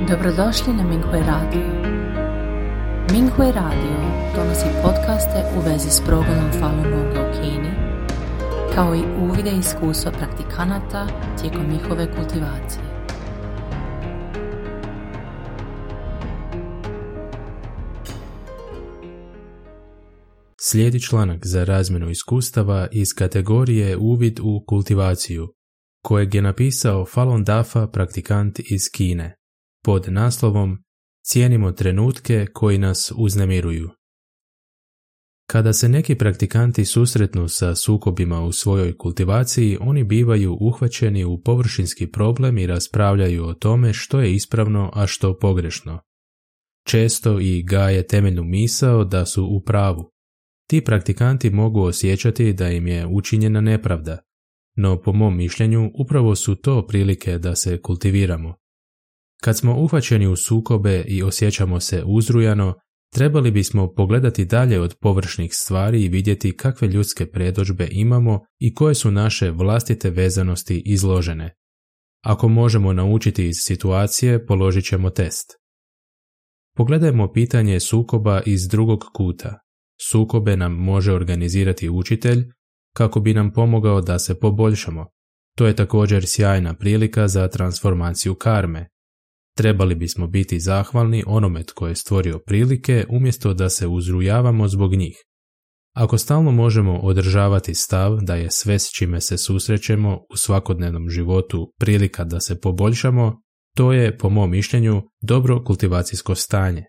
Dobrodošli na Minghui Radio. Minghui Radio donosi podcaste u vezi s progledom Falun Gonga u Kini, kao i uvide i iskustva praktikanata tijekom njihove kultivacije. Slijedi članak za razmjenu iskustava iz kategorije Uvid u kultivaciju, kojeg je napisao Falun Dafa praktikant iz Kine, pod naslovom Cijenimo trenutke koji nas uznemiruju. Kada se neki praktikanti susretnu sa sukobima u svojoj kultivaciji, oni bivaju uhvaćeni u površinski problem i raspravljaju o tome što je ispravno, a što pogrešno. Često i gaje temeljnu misao da su u pravu. Ti praktikanti mogu osjećati da im je učinjena nepravda, no po mom mišljenju upravo su to prilike da se kultiviramo. Kad smo uhvaćeni u sukobe i osjećamo se uzrujano, trebali bismo pogledati dalje od površnih stvari i vidjeti kakve ljudske predodžbe imamo i koje su naše vlastite vezanosti izložene. Ako možemo naučiti iz situacije, položit ćemo test. Pogledajmo pitanje sukoba iz drugog kuta. Sukobe nam može organizirati učitelj kako bi nam pomogao da se poboljšamo. To je također sjajna prilika za transformaciju karme. Trebali bismo biti zahvalni onome tko je stvorio prilike umjesto da se uzrujavamo zbog njih. Ako stalno možemo održavati stav da je sve s čime se susrećemo u svakodnevnom životu prilika da se poboljšamo, to je, po mom mišljenju, dobro kultivacijsko stanje.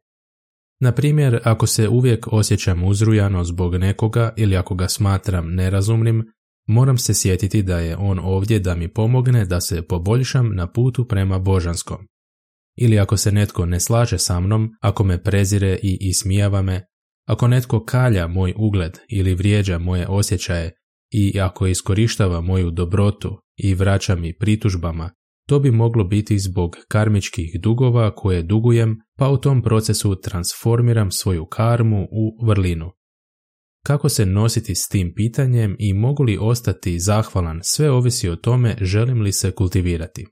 Na primjer, ako se uvijek osjećam uzrujano zbog nekoga ili ako ga smatram nerazumnim, moram se sjetiti da je on ovdje da mi pomogne da se poboljšam na putu prema božanskom. Ili ako se netko ne slaže sa mnom, ako me prezire i ismijava me, ako netko kalja moj ugled ili vrijeđa moje osjećaje i ako iskorištava moju dobrotu i vraća mi pritužbama, to bi moglo biti zbog karmičkih dugova koje dugujem, pa u tom procesu transformiram svoju karmu u vrlinu. Kako se nositi s tim pitanjem i mogu li ostati zahvalan, sve ovisi o tome želim li se kultivirati.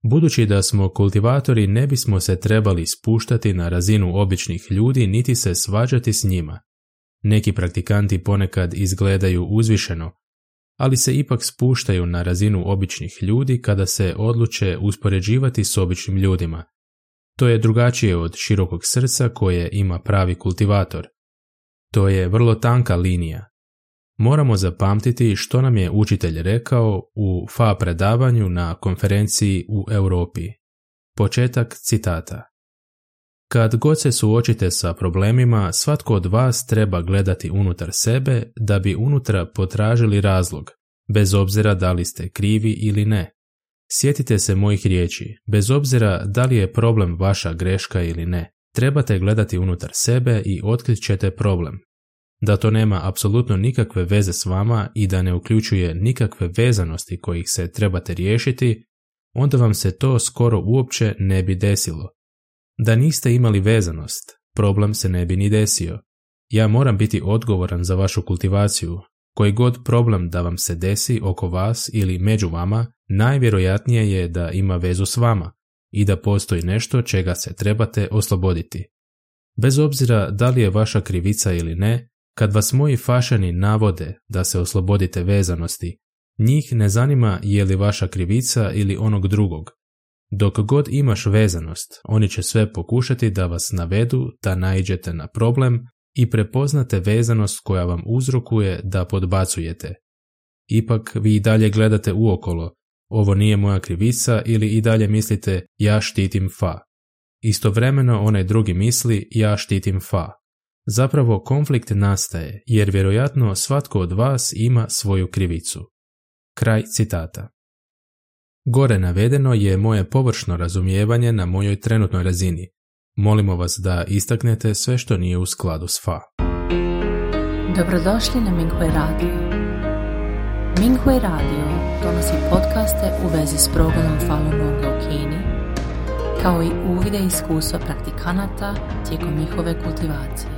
Budući da smo kultivatori, ne bismo se trebali spuštati na razinu običnih ljudi niti se svađati s njima. Neki praktikanti ponekad izgledaju uzvišeno, ali se ipak spuštaju na razinu običnih ljudi kada se odluče uspoređivati s običnim ljudima. To je drugačije od širokog srca koje ima pravi kultivator. To je vrlo tanka linija. Moramo zapamtiti što nam je učitelj rekao u FA predavanju na konferenciji u Europi. Početak citata. Kad god se suočite sa problemima, svatko od vas treba gledati unutar sebe da bi unutra potražili razlog, bez obzira da li ste krivi ili ne. Sjetite se mojih riječi, bez obzira da li je problem vaša greška ili ne, trebate gledati unutar sebe i otkrit ćete problem. Da to nema apsolutno nikakve veze s vama i da ne uključuje nikakve vezanosti kojih se trebate riješiti, onda vam se to skoro uopće ne bi desilo. Da niste imali vezanost, problem se ne bi ni desio. Ja moram biti odgovoran za vašu kultivaciju. Koji god problem da vam se desi oko vas ili među vama, najvjerojatnije je da ima vezu s vama i da postoji nešto čega se trebate osloboditi. Bez obzira da li je vaša krivica ili ne, kad vas moji fašani navode da se oslobodite vezanosti, njih ne zanima je li vaša krivica ili onog drugog. Dok god imaš vezanost, oni će sve pokušati da vas navedu da naiđete na problem i prepoznate vezanost koja vam uzrokuje da podbacujete. Ipak vi i dalje gledate uokolo, ovo nije moja krivica ili i dalje mislite ja štitim Fa. Istovremeno onaj drugi misli ja štitim Fa. Zapravo konflikt nastaje jer vjerojatno svatko od vas ima svoju krivicu. Kraj citata. Gore navedeno je moje površno razumijevanje na mojoj trenutnoj razini. Molimo vas da istaknete sve što nije u skladu s Fa. Dobrodošli na Minghui Radio. Minghui Radio donosi podcaste u vezi s progledom Falun Gonga u Kini, kao i uvide i iskustva praktikanata tijekom njihove kultivacije.